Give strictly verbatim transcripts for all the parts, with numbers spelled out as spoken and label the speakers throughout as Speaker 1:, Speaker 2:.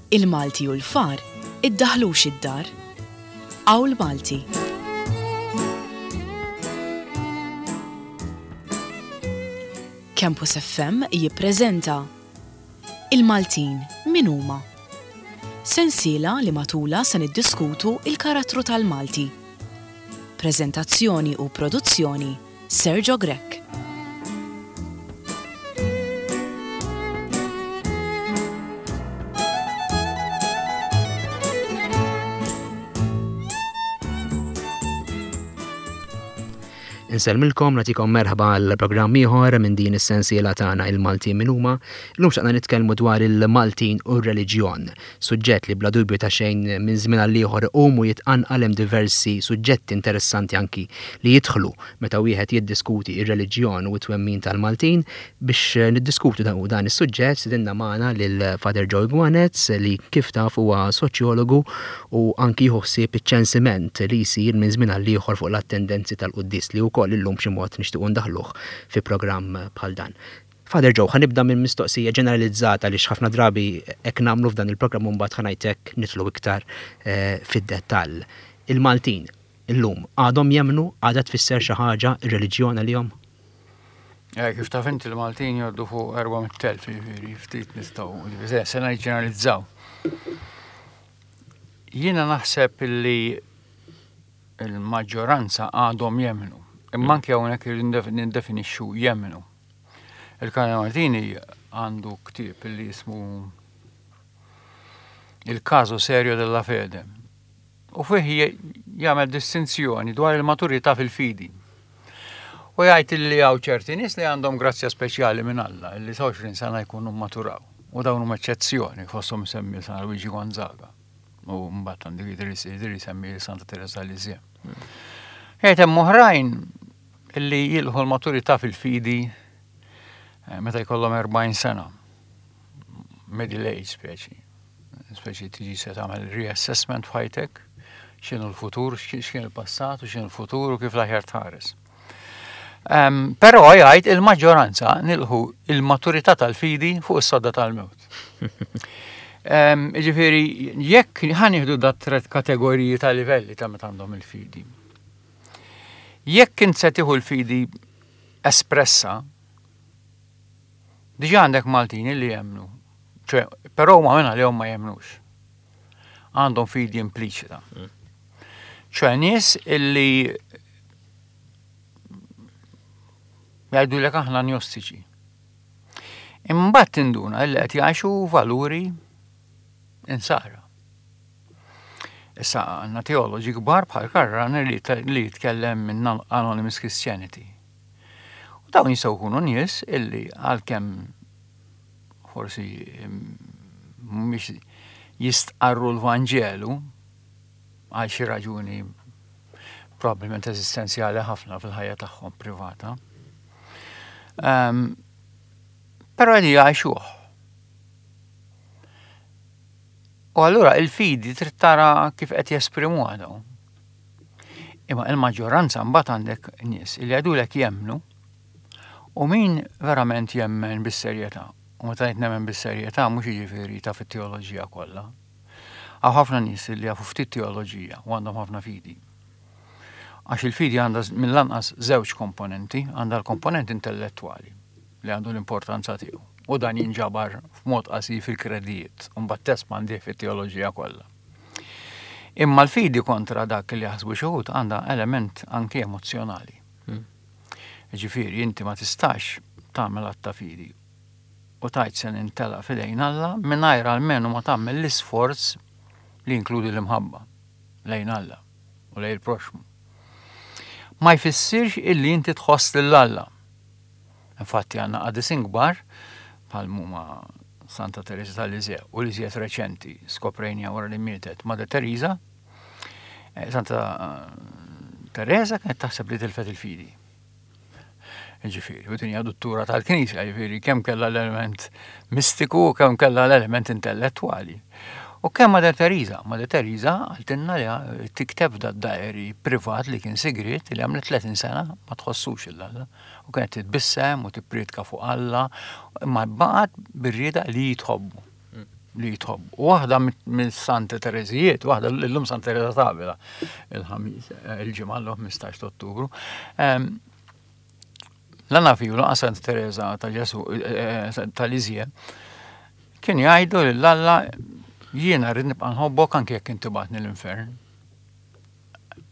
Speaker 1: Il-Malti u l-far iddaħlux id-dar. Awl Malti. Campus F M jippreżenta Il-Maltin min huma? Sensiela li matula se niddiskutu il-karattru tal-Malti. Preżentazzjoni u produzzjoni Sergio Grech.
Speaker 2: Insellmilkom, nagħtikom merħba għal programm ieħor minn din is-sensiela tagħna Il-Maltin min huma. Illum xtaqna nitkellmu dwar il-Maltin u r-reliġjon, suġġett li bla dubju ta' xejn minn żmien għal ieħor iqum u jitqanqal hemm diversi suġġetti interessanti anki li jidħlu meta wieħed jiddiskuti r-reliġjon u t-twemmin tal-Maltin. Biex niddiskutu dan, dan is-suġġett sidinna magħna lil Father Joe Gwanez li kif taf huwa soċjologu u anki jieħu ħsieb iċ-ċensiment li jsir minn żmien għal ieħor fuq l-attendenzi tal-quddies li wkoll illum b'xi mod nixtiequ ndaħluh fi programm bħal dan. Father Joe, ħanibda minn mistoqsija ġeneralizzata li ħafna drabi hekk nagħmlu f'dan il-programm u mbagħad ħanajtek nidħlu iktar, eh, fid-dettall. Il-Maltin illum għadhom jemmnu, għadha tfisser xi ħaġa r-reliġjon għalihom?
Speaker 3: Eh, kif taf inti l-Maltin jgħoddu fuq erba' mitt elf, jiġifieri ftit nistgħu, jiġifieri se niġġeneralizzaw. Jiena naħseb illi il-maġġoranza għadhom jemmnu. Imma anke hawnhekk irridu nindefinixxu jemmnu. Il-Kardinal Martini għandu ktieb li jismu Il Caso Serio della Fede. U fih je-, jagħmel distinzjoni dwar il-maturità fil-fidi. U jgħid li hawn ċerti nies li għandhom grazzja speċjali minn Alla, li sa għoxrin sena jkunu maturaw. U dawn huma eċċezzjoni, fosthom semmi San Luigi Gonzaga. U mbagħad għandu jidher jidher jsemmi Santa Teresa Lisieux. Jgħid hemm oħrajn li jilħu l-maturità fil-fidi, eh, meta jkollhom erbgħin sena. Middle age speċi. Speċi tiġi se tagħmel reassessment f'ħajtek, x'inhu l-futur, x'kien, x'kien il-passat u x'inhu l-futur u kif l-aħjar tħares. Ehm, però jgħid il-maġġoranza nilħu il-maturità tal-fidi fuq is-sodda tal-mewt. Ehm, jiġifieri, jekk ħa nieħdu dat tret kategoriji ta' livelli ta' meta għandhom il-fidi. Jekk int se tieħu l-fidi espressa, diġà għandek Maltini li jemmnu, ċe, però huma minn għalihom ma jemmnux. Għandhom fidi impliċita. ċe nies illi jgħidulek aħna agnostiċi. Imbagħad tinduna illi qed jgħixu valuri insara. Issa għandna teoloġi kbar bħal Karl li t-, li jitkellem minn An-, Anonymous Christianity. U dawn jistgħu jkunu nies illi għalkemm forsi mhumiex jistqarru l-Vanġelu għal xi raġuni probabbilment eżistenzjali ħafna fil-ħajja tagħhom privata. Ehm, però qegħdin jgħixuh. U allura il-fidi trid tara kif qed jesprimuha dawn. Imma il-maġġoranza mbagħad għandek nies li jgħidulek jemmnu u min verament jemmen bis-serjetà. U meta ngħid nemmen bis-serjetà mhux jiġifieri ta' fit-teoloġija kollha. Hawn ħafna nies li jafu ftit teoloġija u għandhom ħafna fidi. Għax il-fidi għandha z-, mill-anqas żewġ komponenti, għandha l-komponent intellettwali li għandu l-importanza tiegħu. U dan jinġabar f'mod qasir fil-kredijiet, u mbagħad tespandi fit-teoloġija kollha. Imma l-fidi kontra dak li jaħsbu xi wħud għandha element anke emozjonali.
Speaker 2: Hmm.
Speaker 3: Ġifieri inti ma tistax tagħmel att ta' fidi u tgħid se nintela' f'idejn Alla mingħajr almenu ma tagħmel l-isforz li jinkludi l-imħabba lejn Alla u lejn il-proxmu. Ma jfissirx illi inti tħoss lil Alla. Infatti għandna qadisin kbar bħal huma Santa Teresa tal-Lisieux u li żjed reċenti skoprejnija wara li mietet Mother Teresa. Eh, Santa Teresa kienet taħseb li tilfet il-fidi. Ġifieri, u din hija duttura tal-Knisja, ġifieri kemm kellha l-element mistiku u kemm kellha l-element intellettwali. U kemm Mother Teresa, Mother Teresa qaltilna li tikteb da diary privat li kien sigriet li għamlet tletin sena ma tħossux il Alla. U kienet titbissem u tippriedka fuq Alla, imma baqgħet bir-rieda li jitħobbu. li tħobb. U waħda mill-Santa Tereżijiet, waħda llum Santa Teresa t'Avila, il-ħamis, il-ġimgħa l ħmistax ta' Ottubru. La naf u lanqas Santa Teresa ta' Ġesu ta' Lisieux kien jgħidu lil Alla jiena rrid nibqa' nħobbok anke jekk inti bagħatni l-infern.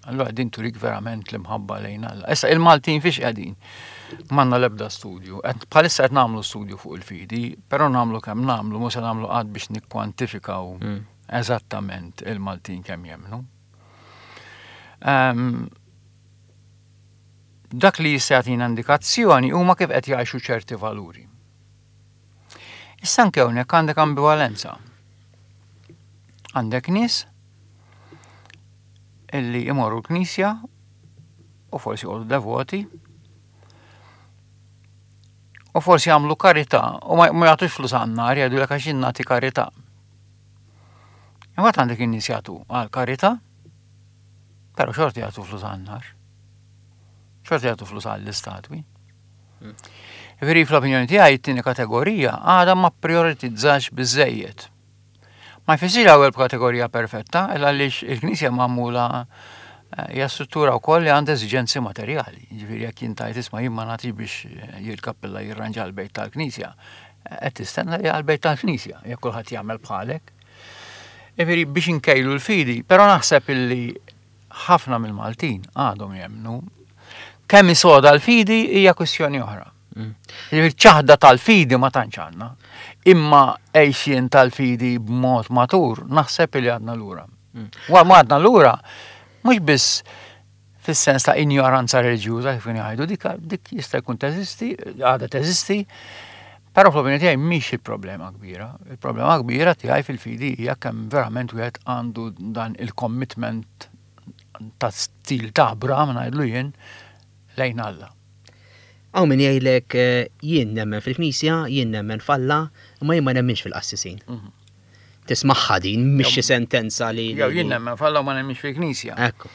Speaker 3: Allora din turik verament l-imħabba lejn Alla. Issa il-Maltin fiex qegħdin? M'għandna l-ebda studju. Bħalissa qed nagħmlu studju fuq il-fidi, però nagħmlu kemm nagħmlu, mhux se nagħmlu qatt biex nikkwantifikaw mm. eżattament il-Maltin kemm jemmnu. Um, dak li jista' jagħtina indikazzjoni huma kif qed jgħixu ċerti valuri. Issa anke hawnhekk għandek ambivalenza. Għandek nies illi imorru l-knisja u forsi jqogħdu devoti u forsi jagħmlu karità u ma jagħtux flus għan-nar jgħidu lek għax nagħti karità. Imbagħad għandek in-nies jagħtu għal karità, però xorti jagħtu flus għan-nar. Xorti jagħtu flus għall-istatwi. Veri fl-opinjoni tiegħi it-tieni kategorija għadha ma prioritizzax biżejjed. Ma jfissirx l-ewwel kategorija perfetta, illa għaliex il-Knisja magħmula eh, hija struttura wkoll li għandha eżiġenzi materjali. Ġifieri jekk jien tajt isma' jien ma nagħtix biex jil-kappella jirranġa l-bejt tal-Knisja, qed tistenna li għall-bejt tal-Knisja, jekk kulħadd jagħmel bħalek. Ġifieri biex inkejlu l-fidi, però naħseb illi ħafna mill-Maltin għadhom jemmnu kemm isoda l-fidi hija kwistjoni oħra. Mm. Ċaħda tal-fidi ma tantx għandna. Imma għejxien tal-fidi b'mod matur naħseb li għadna lura. Mm. Wa ma għadna lura mhux biss fis-sens ta' ignoranza reliġjuża kif jgħidu dik dik jista' jkun teżisti, għadha teżisti, però fl-opinjoni tiegħi mhix il-problema kbira. Il-problema kbira tiegħi fil-fidi hija kemm verament wieħed għandu dan il-commitment ta' stil ta' Abraham ngħidlu jien lejn Alla.
Speaker 2: Hawn min jgħidlek eh, jien nemmen fil-Knisja, jien nemmen f'Alla, imma jien ma nemminx fil-qassisin. Mhm. Tismagħha din, mhix xi sentenza li.
Speaker 3: Jew jien nemmen f'Alla u ma nemminx fil-Knisja.
Speaker 2: Ekku.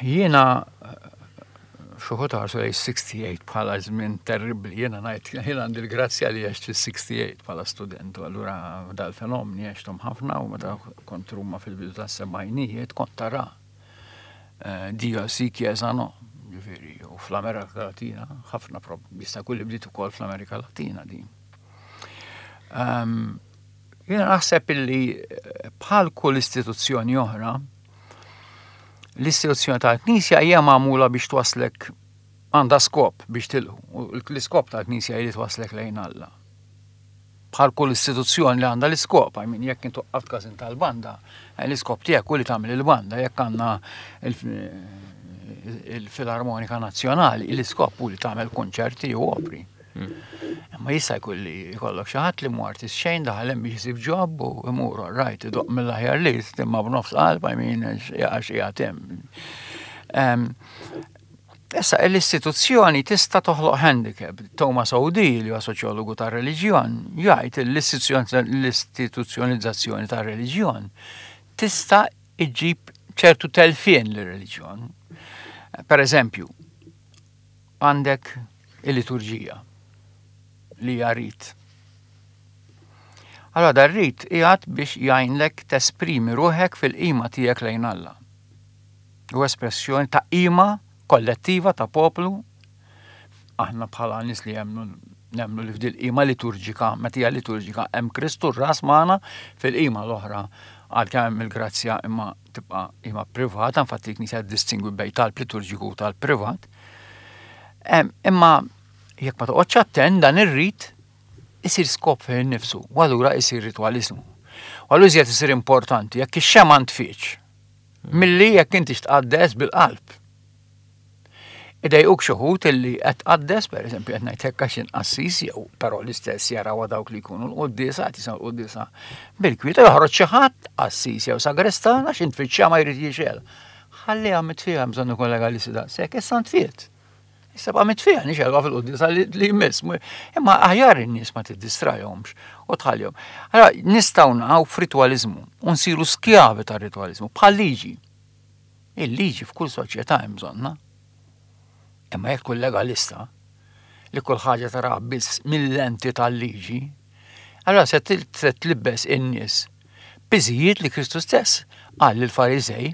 Speaker 3: Jiena xi wħud ħarsu lejn sitta u sittin bħala żmien terribbli, jiena ngħid jiena għandi l-grazzja li għext fis-sitta u sittin bħala student, u allura dal-fenomeni għexthom ħafna u meta kont Ruma fil-bidu tas-sebgħinijiet kont tara eh, Dio sì, Chiesa no, ġifieri, u fl-Amerika Latina, ħafna jista' jkun li bdiet ukoll fl-Amerika Latina din. Um, jiena naħseb illi eh, bħal kull istituzzjoni oħra, l-istituzzjoni tal-Knisja hija magħmula biex twaslek għandha skop biex tilħu. U l-iskop tal-Knisja hi li twaslek lejn Alla. Bħal kull istituzzjoni li għandha l-iskop, I mean, jekk intu qaft każin tal-banda, eh, l-iskop tiegħek hu li tagħmel il-banda, jekk għandna il-Filarmonika Nazzjonali, l-iskop hu li tagħmel konċerti u opri. Imma jista' jkun li jkollok xi ħadd li mhu artist xejn daħal hemm biex isib job u imur right idoqq mill-aħjar li imma b'nofs qalb, I mean, għax qiegħed hemm. Issa l-istituzzjoni tista' toħloq handicap. Thomas O'Dea, li huwa soċjologu tar-reliġjon, jgħid l-istituzzjonalizzazzjoni tar-reliġjon tista' iġġib ċertu telfien lir-reliġjon. Per eżempju, għandek il-liturġija li hija rit. Allora dar rit qiegħed biex jgħinlek tesprimi ruħek fil-qima tiegħek lejn Alla. U espressjoni ta' qima kollettiva ta' poplu. Aħna bħala nies li jemmnu nemmnu li f'dil qima liturġika, meta hija liturġika, hemm Kristu r-ras magħna fil-qima l-oħra għal hemm il-grazzja imma tibqa' qima privata, infatti l-Knisja distingwi bejn talb liturġiku u talb privat. Imma jekk ma toqgħodx attent dan ir-rit isir skop fih innifsu, u allura isir ritwaliżmu. U allura iżjed isir importanti jekk ix-xemgħa ntfietx milli jekk inti tqaddes bil-qalb. Idejquk xi wħud illi qed tqaddes, pereżempju qed ngħid hekk għax inqassis jew però l-istess jaraw dawk li jkunu l-quddiesa qed jisimgħu l-quddiesa bil-kwieta joħroġ xi ħadd qassis jew sagrestan għax intfittxa ma jrid jixgħel. Ħalliha mitfija bżonn ikun legalisti daqshekk, issa ntfiet. Issa ba' mitfija nixgħelha fil-quddiesa li jmiss. Imma aħjar in-nies ma tiddistrajhomx u tħallihom. Allora nistgħu naqgħu f'ritwaliżmu u nsiru skjavi tar-ritwaliżmu bħal liġi. Il-liġi f'kull soċjetà hemm bżonna. Imma jekk tkun legalista li kull ħaġa tara biss mill-lenti tal-liġi, Allora se tlibbes in-nies piżijiet li Kristu stess qal lill-Fariżej,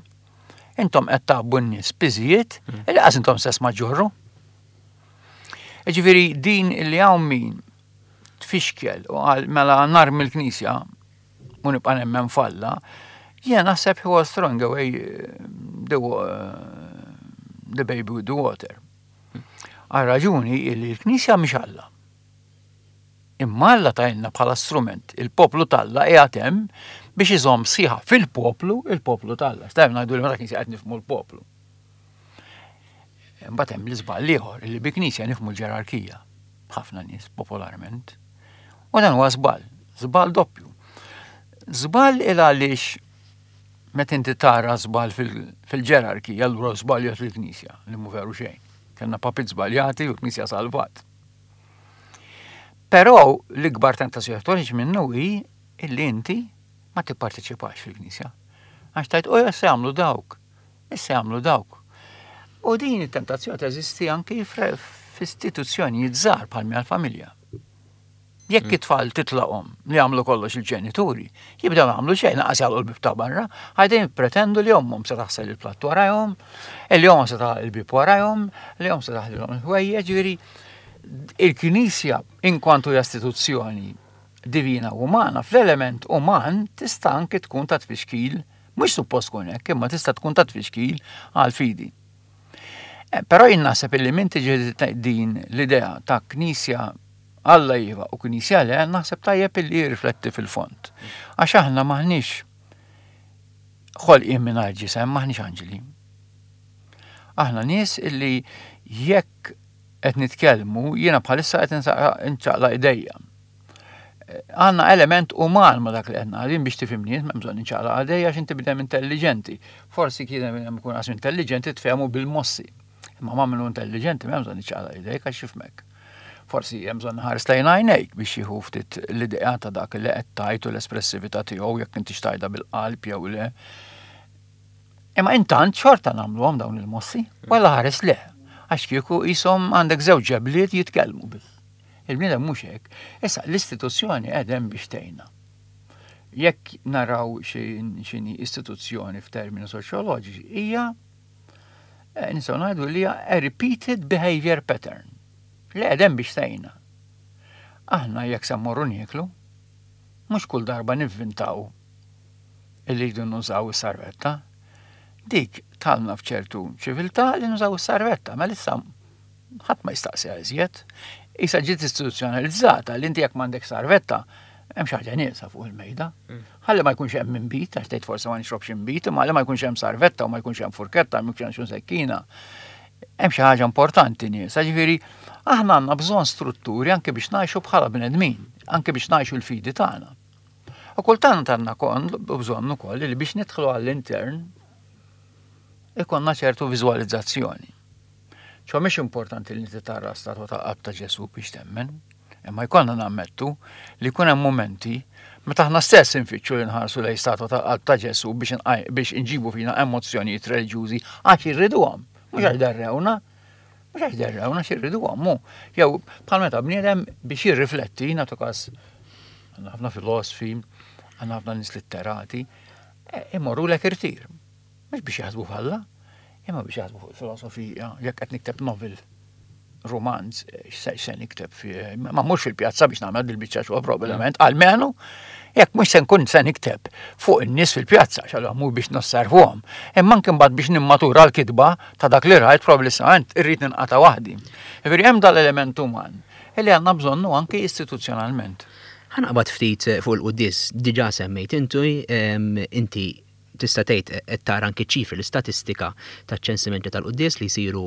Speaker 3: intom qed tgħabbu n-nies piżijiet mm. li qas intom stess ma ġorru. Ġifieri din li hawn min tfixkel u qal mela narmi l-Knisja u nibqa' nemmen f'Alla, jien naħseb he was throwing away eh, the, uh, the baby with the water. Għal raġuni li l-Knisja mhix Alla. Imma Alla tajna bħala strument, il-poplu t'Alla qiegħed hemm biex iżomm sħiħa fil-poplu, il-poplu t'Alla. Stajm ngħidu li meta Knisja qed nifhmu l-poplu. Imbagħad hemm l-iżball ieħor li bi Knisja nifhmu l-ġerarkija. Ħafna nies popolarment. U dan huwa żball, żball doppju. Żball il għaliex meta inti tara żball fil-ġerarkija, allura żbaljat il-Knisja, li mhu veru xejn. Kellna papiet żbaljati u l-Knisja salvat. Però l-ikbar tentazzjoni toħroġ minnu hi illi inti ma tipparteċipax fil-Knisja. Għax tgħid, u issa jagħmlu dawk, issa jagħmlu dawk. U din it-tentazzjoni teżisti anki f'istituzzjonijiet żgħar bħal għall-familja. Jekk mm. it-tfal titlaqhom li jagħmlu kollox il-ġenituri, jibdew jagħmlu xejn lanqas jagħlqu l-bib ta' barra, ħajdejn pretendu li ommhom se taħsel il-platt warajhom, li ommhom se taħsel il-bib warajhom, li ommhom se taħlilhom il-ħwejjeġ, ġifieri il-Knisja inkwantu hija istituzzjoni divina u umana, fl-element uman tista' anke tkun ta' tfixkil, mhux suppost tkun hekk, imma tista' tkun ta' tfixkil għal fidi. Eh, però jien naħseb illi min tiġi din l-idea ta' Knisja Alla iva u Knisja le, naħseb tajjeb illi jirrifletti fil-fond. Għax aħna maħniex ħolqien mingħajr ġisem, maħniex anġeli. Aħna nies illi jekk qed nitkellmu, jiena bħalissa qed nċaqlaq idejja. Għandna element uman ma dak li qed ngħidin biex tifhimni, m'hemm bżonn inċaqlaq idejja għax inti bnedem intelligenti. Forsi kien hemm ikun qas intelligenti tfehmu bil-mossi. Imma ma minnu intelligenti m'hemm bżonn iċaqlaq idejk għax jifhmek. Forsi hemm bżonn ħares lejn għajnejk biex jieħu ftit l-idea ta' dak li qed tgħid u l-espressività tiegħu jekk inti xtajda bil-qalb jew le. Imma intant xorta nagħmluhom dawn il-mossi, walla ħares le. Għax kieku jisom għandek żewġ ġebliet jitkellmu biss. Il-bniedem mhux hekk. Issa l-istituzzjoni qegħdem biex tgħinna. Jekk naraw x'inhi istituzzjoni f'termini soċjoloġiċi hija eh, nistgħu ngħidu li hija a repeated behavior pattern li qegħdem biex tgħinna. Aħna jekk se mmorru nieklu, mhux kull darba nivvintaw illi jridu nużaw is-sarvetta. Dik talna f'ċertu ċiviltà li nużaw is-sarvetta, ma issa ħadd ma jistaqsi iżjed. Issa ġiet istituzzjonalizzata li inti jekk m'għandek sarvetta, hemm xi ħaġa nieqsa fuq il-mejda. Mm. Ħalli ma jkunx hemm inbid, għax tgħid forsi ma nixrobx inbid, imma ħalli ma jkunx hemm sarvetta u ma jkunx hemm furketta, ma jkunx hemm sekkina. Hemm xi ħaġa importanti nieqsa, ġifieri aħna għandna bżonn strutturi anke biex ngħixu bħala bnedmin, anke biex ngħixu l-fidi tagħna. U kultant għandna kon bżonn ukoll li biex nidħlu għall-intern ikonna ċertu viżwalizzazzjoni. ċo mhix importanti li inti tara statwa ta' qalb ta' Ġesu biex temmen, imma jkollna nammettu li jkun hemm momenti meta aħna stess infittxu li nħarsu lejn statwa ta' qalb ta' Ġesu biex biex inġibu fina emozzjonijiet reliġjużi għax irriduhom, mhux għax derrewna, mhux għax derrewna għax irriduhom mu. Jew bħal meta bniedem biex jirrifletti, nagħtu każ għandna ħafna filosofi, għandna ħafna nies litterati, eh, imorru lek irtir. Mhux biex jaħsbu f'Alla, imma biex jaħsbu fuq il-filosofija, jekk qed nikteb novel, romanz, x'se nikteb fi, ma mhux fil-pjazza biex nagħmel dil-biċċa xogħol probabbilment, almenu jekk mhux se nkun se nikteb fuq in-nies fil-pjazza, x'allura mhux biex nosservuhom, imma anke mbagħad biex nimmatura l-kitba ta' dak li rajt probabbilment irrid ninqata' waħdi. Ġifieri hemm dal-element uman li għandna bżonnu anke istituzzjonalment.
Speaker 2: Ħa naqbad ftit fuq il-quddies, diġà semmejt intu inti tista' tgħid qed tara anke ċifri l-istatistika taċ-ċensimenti tal-quddies li jsiru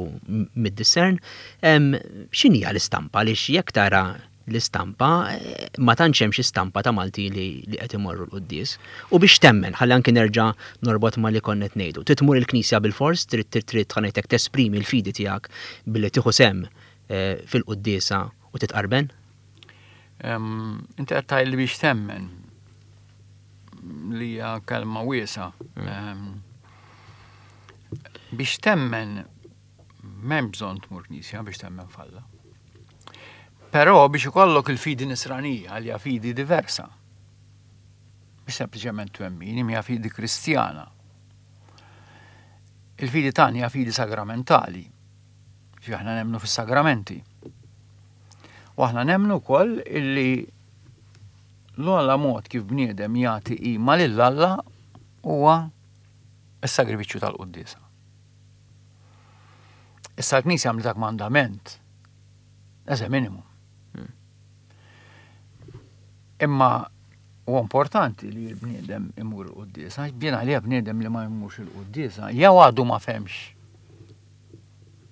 Speaker 2: mid-Discern. X'inhi l-istampa għaliex jekk tara l-istampa ma tantx hemm xi stampa ta' Malti li qed imorru l-quddies. U biex temmen, ħalli anke nerġa' norbot ma li konna qed ngħidu. Trid tmur il-knisja bil-fors, trid trid ħa ngħidlek tesprimi l-fidi tiegħek billi tieħu sehem eh, fil-quddiesa u titqarben?
Speaker 3: Inti qed tgħid li biex temmen li hija kelma wiesa. Mm. Biex temmen m'hemm bżonn tmur knisja biex temmen f'Alla. Però biex ikollok il-fidi nisranija, li hija fidi diversa. Mhux sempliċement twemmin, hija fidi kristjana. Il-fidi tagħna hija fidi sagramentali. Ġi aħna nemmnu fis-sagramenti. U aħna nemmnu wkoll illi l-ogħla mod kif bniedem jagħti qima lil Alla huwa s-sagrifiċċju tal-quddiesa. Issa l-Knisja għamlet dak mandament as a minimum. Imma huwa importanti li l-bniedem imur il-quddiesa, jiena għalija bniedem li ma jmurx il-quddiesa, jew għadu ma fehemx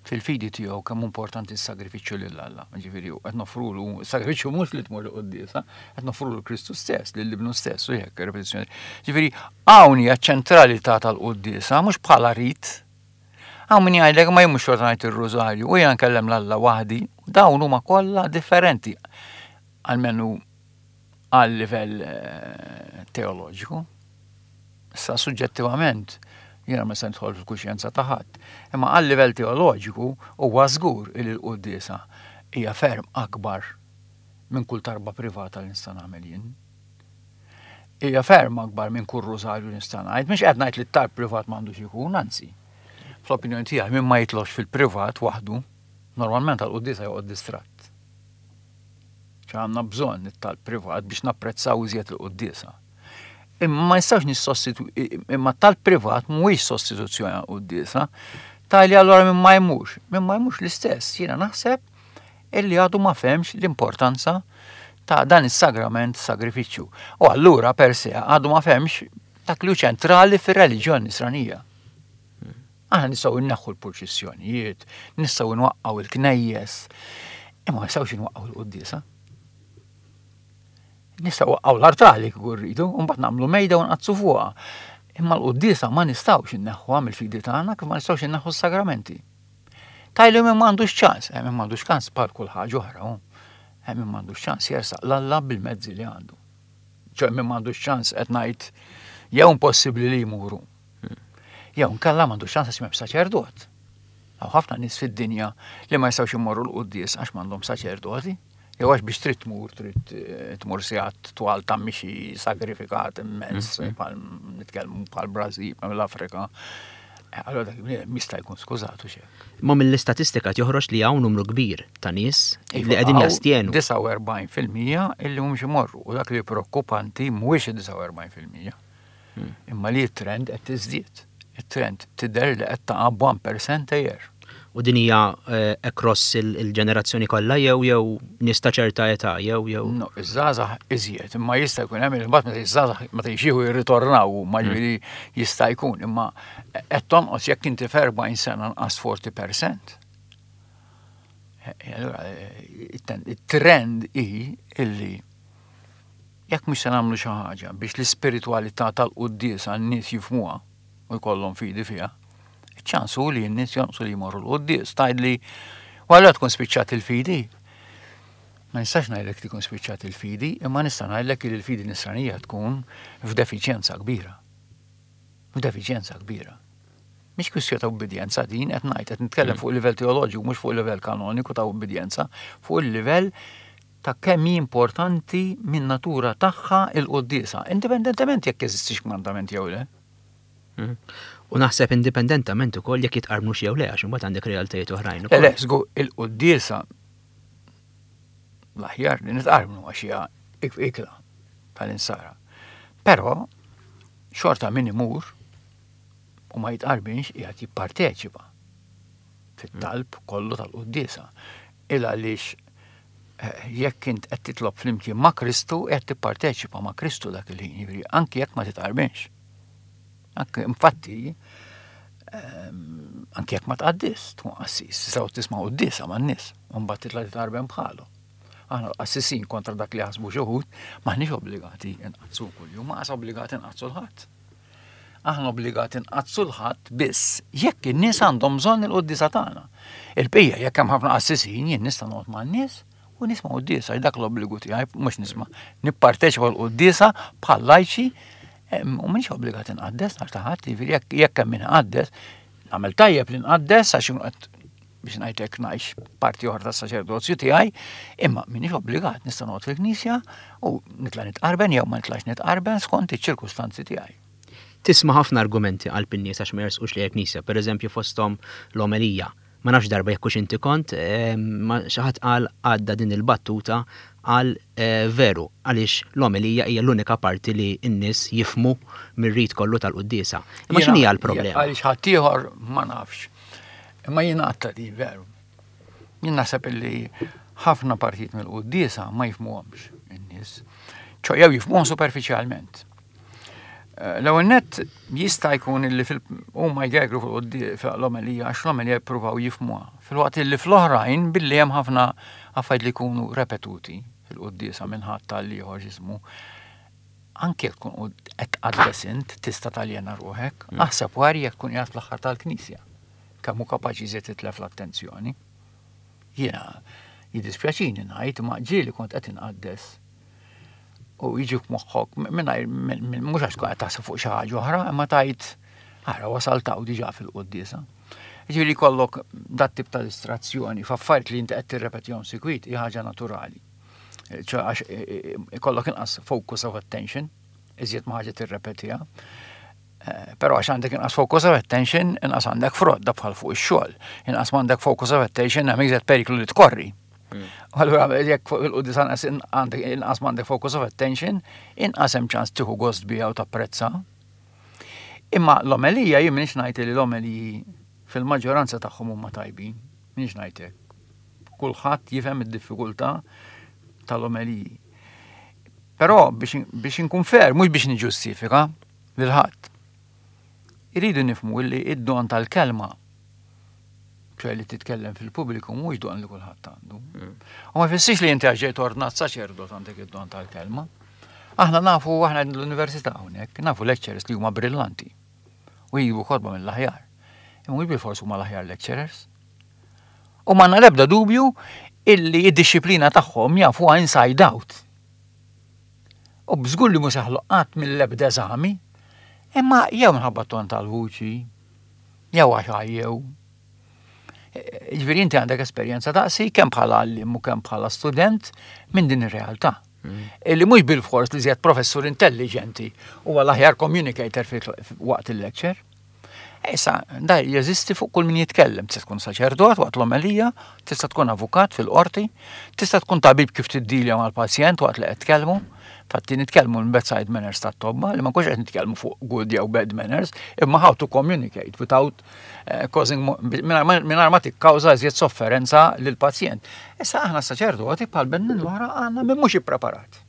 Speaker 3: fil-fidi tiegħu kemm importanti s-sagrifiċċju lil Alla. Ġifieri qed noffrulu s-sagrifiċċju mhux li tmur il-quddiesa, qed noffrulu Kristu stess, lil ibnu stess u hekk repetizzjoni. Ġifieri hawn hija ċentralità tal-quddiesa mhux bħala rit. Hawn min jgħidlek ma jmux xorta ngħid ir-rużarju u jiena nkellem 'l Alla waħdi, dawn huma kollha differenti. Almenu għal livell eh, teoloġiku. Issa suġġettivament jiena ma se nidħol fil-kuxjenza ta' ħadd. Imma għal livell teoloġiku huwa żgur li l-quddiesa hija ferm akbar minn kull tarba privata li nista' nagħmel jien. Hija ferm akbar minn kull rużarju li nista' ngħid. Mhux qed ngħid li t-talb privat m'għandux ikun, anzi. Fl-opinjoni tiegħi min ma jitlobx fil-privat waħdu, normalment għall-quddiesa joqgħod distratt. Għandna bżonn it-talb privat biex napprezzaw iżjed il-quddiesa. Imma ma nistgħux nissostitu imma tal privat mhuwiex sostituzzjoni għal quddiesa. Tali allura min ma jmurx, min ma jmurx l-istess, jiena naħseb illi għadu ma fehemx l-importanza ta' dan is-sagrament sagrifiċċju. U allura per se għadu ma fehemx dak li hu ċentrali fir-reliġjon nisranija. Aħna nistgħu nneħħu l-purċissjonijiet, nistgħu nwaqqgħu il-knejjes, imma ma nistgħux nwaqqgħu l-quddiesa. Nistgħu nwaqqgħu l-artali kieku rridu, u mbagħad nagħmlu mejda u nqaddsu fuqha. Imma l-quddiesa ma nistgħux inneħħuha mill-fidi tagħna kif ma nistgħux inneħħu s-sagramenti. Tgħidli min m'għandux ċans, eh, min m'għandux ċans bħal kull ħaġa oħra, hu. Eh, min m'għandux ċans jersaq 'l Alla bil-mezzi li għandu. Ċoè min m'għandux ċans qed ngħid jew impossibbli li jmuru. Jew nkella m'għandux ċans għax m'hemm saċerdot. Hawn ħafna nies fid-dinja li ma jistgħux imorru l-quddies għax m'għandhom saċerdoti. Jew għax biex trid tmur, trid eh, tmur sigħat twal ta' mixi sagrifikat immens, bħal nitkellmu bħal Brażil, bħal l-Afrika. Eh, Allora dak il-bniedem jista' jkun skużatu xejn.
Speaker 2: Ma mill-istatistika joħroġ li hawn numru kbir ta' nies li qegħdin jastjenu.
Speaker 3: disgħa u erbgħin fil-mija illi mhumiex imorru u dak li preokkupanti mhuwiex id-disgħa u erbgħin fil-mija. Imma li t-trend qed tiżdied. it-trend tidher li qed taqa' b'whekk a year.
Speaker 2: U din hija eh, across il- il-ġenerazzjoni kollha jew jew nies ta' ċerta età jew jew.
Speaker 3: No, iż-żgħażagħ iżjed, imma jista' jkun hemm il-mbagħad meta iż-żgħażagħ meta jxieħu jirritornaw, ma ġifieri jista' jkun, imma qed tonqos jekk inti f'erbgħin sena nqas erbgħin fil-mija. Eh, Allura eh, it-trend hi illi jekk mhux se nagħmlu xi ħaġa biex l-ispiritwalità tal-quddiesa n-nies jifhmuha u jkollhom fidi fiha, iċ-ċans hu li n-nies jonqsu li jmorru l-quddies. Tgħidli, u allura tkun spiċċat il-fidi. Ma nistax ngħidlek tkun spiċċat il-fidi, imma nista' ngħidlek li l-fidi nisranija tkun f'defiċjenza kbira. F'defiċjenza kbira. Mhix kwistjoni ta' ubbidjenza din qed ngħid, qed nitkellem fuq livell teoloġiku, mhux fuq livell kanoniku ta' ubbidjenza, fuq il-livell ta' kemm hi importanti minn natura tagħha il-quddiesa, indipendentement jekk jeżistix kmandament jew le.
Speaker 2: Mhm. U naħseb indipendentament ukoll jekk jitqarbnux jew le, għax imbagħad għandek realtajiet oħrajn
Speaker 3: Le,
Speaker 2: ukoll.
Speaker 3: le, żgur, il-quddiesa l-aħjar li nitqarbnu għax hija ik- ikla tal-insara. Però xorta min imur u ma jitqarbinx qiegħed jipparteċipa fit-talb kollu tal-quddiesa. Il għaliex eh, jekk int qed titlob flimkien ma' Kristu qed tipparteċipa ma' Kristu dak il-ħin, jiġifieri anki jekk ma titqarbinx. Anke infatti ehm, anki jekk ma tqaddis, tkun qassis, tistgħu tisma' quddiesa man-nies, u mbagħad titla' titqarben bħalu. Aħna l-qassisin kontra dak li jaħsbu xi wħud, m'aħniex obbligati nqaddsu kuljum, ma qas obbligati nqaddsu l-Ħadd. Aħna obbligati nqaddsu l-Ħadd biss jekk in-nies għandhom bżonn il-quddiesa tagħna. Il-bqija jekk hemm ħafna qassisin jien nista' noqgħod man-nies u nisma' quddiesa, dak l-obbligu tiegħi mhux nisma'. Nipparteċipa l-quddiesa bħal lajċi em, u m'iniex obbligat inqaddes nhar ta' Ħadd, jiġifieri jekk jekk hemm min iqaddes, nagħmel tajjeb li nqaddes għax qed biex ngħidlek ngħix parti oħra tas-saċerdozju tiegħi, imma m'iniex obbligat, nista' noqgħod fil-knisja u nitla' nitqarben jew ma nitlax nitqarben skont iċ-ċirkustanzi tiegħi.
Speaker 2: Tisma' ħafna argumenti għal in-nies għax ma jersqux lejn il-knisja, pereżempju fosthom l-omelija. Ma nafx darba jekk hux inti kont, ma xi ħadd qal għadda din il-battuta għal eh, veru, għaliex l-omelija hija l-unika parti li n-nies jifhmu mir-rit kollu tal-quddiesa. Imma x'inhi l-problema?
Speaker 3: Għaliex ħaddieħor ma nafx. Imma jien għadta di veru. Jien naħseb illi ħafna partijiet mill-quddiesa ma jifhmuhomx in-nies. ċo jew jifhmuhom superfiċjalment. Eh, l-ewwel nett jista' jkun illi huma jgegru fil-omelija għax l-omelija jippruvaw jifhmuha. Filwaqt illi fl-oħrajn billi hemm ħafna affarijiet li jkunu repetuti fil-quddiesa minn ħadd tal-ieħor ġismu. Anke jekk tkun qed tqaddes int tista' taljena ruħek, mm. aħseb wara jekk tkun qiegħed fl-aħħar tal-knisja. Kemm hu kapaċi jżid titlef l-attenzjoni. Jiena jiddispjaċini ngħid ma ġieli kont qed inqaddes u jiġi f'moħħok mingħajr mhux għax tkun qed taħseb fuq xi ħaġa oħra, imma tgħid ara wasalt hawn diġà fil-quddiesa. Ġifieri jkollok dat tip ta' distrazzjoni f'affarijiet li inti qed tirrepetihom sikwit hi ħaġa naturali. ċo għax ikollok inqas focus of attention, iżjed ma ħaġa tirrepetiha. Eh, però għax għandek inqas focus of attention, inqas għandek frott da bħal fuq ix-xogħol. Inqas m'għandek focus of attention hemm iżjed periklu li tkorri. Mm. Allura jekk fuq il-quddies għandek inqas m'għandek focus of attention, inqas hemm ċans tieħu gost biha u tapprezza. Imma l-omelija jien m'iniex ngħid li l-omeliji fil-maġġoranza tagħhom huma tajbin, m'iniex ngħid hekk. Kulħadd jifhem id-diffikultà tal-omeliji. Però biex inkun fair, mhux biex niġġustifika lil ħadd. Iridu nifhmu li id-don tal-kelma ċe li titkellem fil-pubbliku mhux don li kulħadd għandu. Mm. U ma jfissirx li inti għax ġejt ordnat saċerdot għandek id-don tal-kelma. Aħna nafu aħna l-università hawnhekk, nafu lecturers li huma brillanti u jiġu kotba mill-aħjar. Imma mhux bilfors huma l-aħjar lecturers. U m'għandna l-ebda dubju illi id-disciplina tagħhom jafuha inside out. U bżgur li mhux jaħlu qatt mill-ebda eżami, imma jew minħabba ton tal-vuċi, jew għax jew. Ġifieri inti għandek esperjenza daqsi kemm bħala għallim u kemm bħala student minn din ir-realtà. Mm. Illi mhux bil-fors li żjed professur intelligenti u l-aħjar communicator waqt il-lecture. Issa, da jeżisti fuq kull min jitkellem. Tista' tkun saċerdot waqt l-omelija, tista' tkun avukat fil-qorti, tista' tkun tabib kif tiddilja mal-pazjent waqt li qed tkellmu. Fatti nitkellmu l-bedside manners tat-tobba, li ma nkunx qed nitkellmu fuq good jew bad manners, imma how to communicate without eh, causing mingħajr ma tikkawża iżjed sofferenza lill-pazjent. Issa aħna saċerdoti bħal bnedmin l-oħra għandna min mhux ippreparat.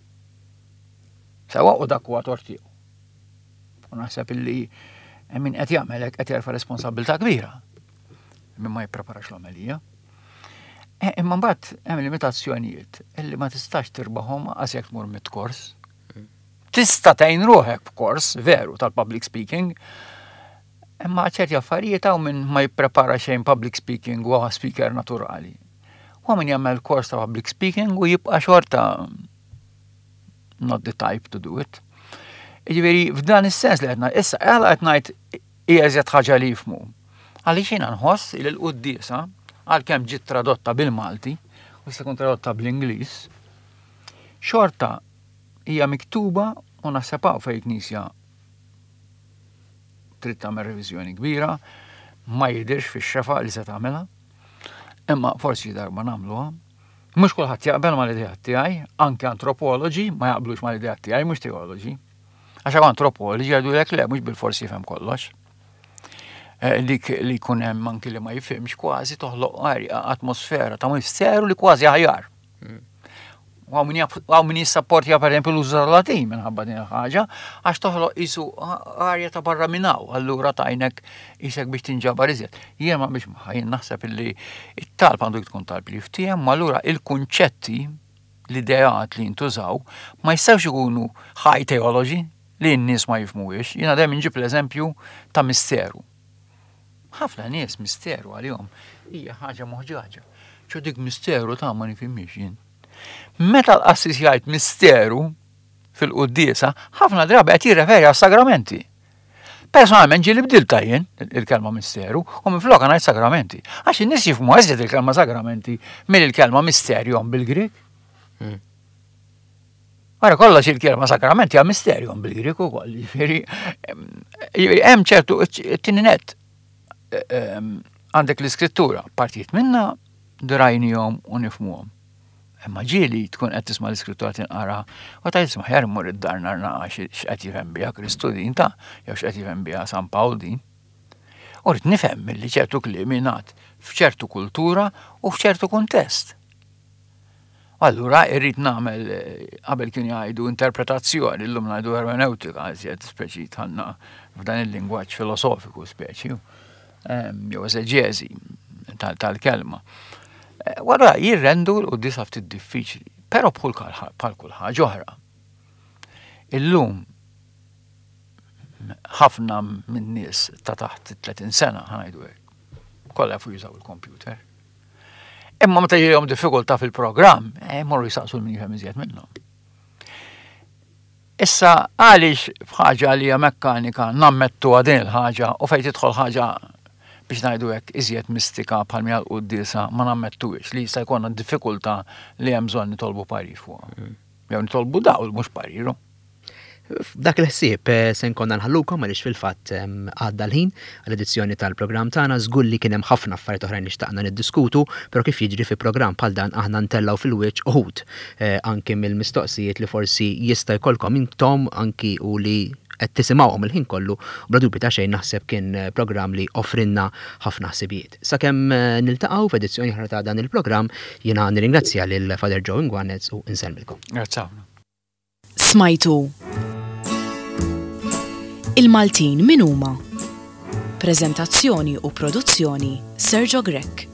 Speaker 3: Sewa u dak huwa tort tiegħu. U naħseb illi min qed jagħmel hekk qed jerfa' responsabilità kbira. Min ma jippreparax l-omelija. Eh, imma mbagħad hemm limitazzjonijiet illi ma tistax tirbaħhom għax jekk tmur mit-kors. Tista' tgħin ruħek b'kors veru tal-public speaking, imma ċerti affarijiet hawn min ma jipprepara xejn public speaking u speaker naturali. U min jagħmel kors ta' public speaking u jibqa' xorta not the type to do it. Ġifieri f'dan is-sens li qed issa għala qed ngħid hija eżjed ħaġa li jifhmu. Għaliex jiena nħoss li l-quddiesa għalkemm ġiet tradotta bil-Malti u se tkun tradotta bl-Ingliż, xorta hija miktuba u naħseb hawn fejn knisja trid tagħmel reviżjoni kbira, ma jidhirx fix-xefa li se tagħmilha. Imma forsi darba nagħmluha. Mhux kulħadd jaqbel mal-idea tiegħi, anke antropoloġi ma jaqblux mal-idea tiegħi, mhux teoloġi. Għax hawn antropoloġi jgħidu le mhux bil-forsi jifhem kollox. Eh, dik li jkun hemm anki li ma jifhimx kważi toħloq atmosfera ta' misteru li kważi aħjar. Mm. U hawn min jissapportja per esempio l-użu tal-Latin minħabba din il-ħaġa, għax toħloq isu arja ta' barra minn hawn, allura tajnek isek biex tinġabar iżjed. Jien ma biex jien naħseb illi it-talb għandu tkun talb li jiftiehem, ma allura il-kunċetti, l-ideat li jintużaw, ma jistgħux ikunu high theology li n-nies ma jifhmuhiex. Jiena dejjem inġib l-eżempju ta' misteru. Ħafna nies misteru għalihom hija ħaġa moħġaġa. ċo dik misteru ta' ma nifhimx jien. Meta l-qassis jgħid misteru fil-quddiesa, ħafna drabi qed jirreferi għas sagramenti. Personalment ġieli bdilta jien il-kelma misteru u minflok ngħid sagramenti. Għax in-nies jifhmu eżjed il-kelma sagramenti mill-kelma mysterion bil-Grik.
Speaker 2: Hmm.
Speaker 3: Wara kollox il-kelma sagramenti hija mysterion bil-Grik ukoll, jiġifieri hemm ċertu it-tieni net għandek l-iskrittura, partijiet minna drajnihom u nifhmuhom. Imma ġieli tkun qed tisma' l-iskrittura tinqara u tgħid isma' ħjar immur id-dar nar naqa x'qed jifhem biha Kristu din ta' jew x'qed jifhem biha San Pawl din. U rrid nifhem milli ċertu kliem jingħad f'ċertu kultura u f'ċertu kuntest. Allura irrid nagħmel qabel kienu jgħidu interpretazzjoni, illum ngħidu ermeneutika, iżjed speċi tħanna f'dan il-lingwaġġ filosofiku speċi, jew eżeġeżi tal-kelma. Wara jirrendu l-quddiesa ftit diffiċli, però bħal kull ħaġa oħra. Illum ħafna minn nies ta' taħt tletin sena ħa ngħidu hekk, kollha jafu jużaw il-computer. Imma meta jiġihom diffikultà fil-programm, morru jisaqsu min jifhem iżjed minnhom. Issa għaliex f'ħaġa li hija mekkanika nammettu din il-ħaġa u fejn tidħol ħaġa biex ngħidu hekk iżjed mistika bħal mija l-quddiesa ma nammettuhiex li jista' jkollna diffikultà li hemm bżonn nitolbu parir fuqha. Jew nitolbu dawl mhux pariru.
Speaker 2: F'dak il-ħsieb se nkonna nħallukom għaliex fil-fatt għadda l-ħin għall-edizzjoni tal-programm tagħna, żgur li kien hemm ħafna affarijiet oħrajn li xtaqna niddiskutu, però kif jiġri fi programm bħal dan aħna ntellgħu fil-wiċċ uħud anki mill-mistoqsijiet li forsi jista' jkollkom intom anki u li qed tisimgħuhom il-ħin kollu, u bla dubju ta' xejn naħseb kien programm li offrinna ħafna ħsibijiet. Sakemm niltaqgħu f'edizzjoni oħra ta' dan il-programm, jiena nirringrazzja lil Father Joe Inguanez u nsellmilkom.
Speaker 3: Grazzi ħafna.
Speaker 1: Smajtu Il-Maltin min huma? Preżentazzjoni u produzzjoni Sergio Grech.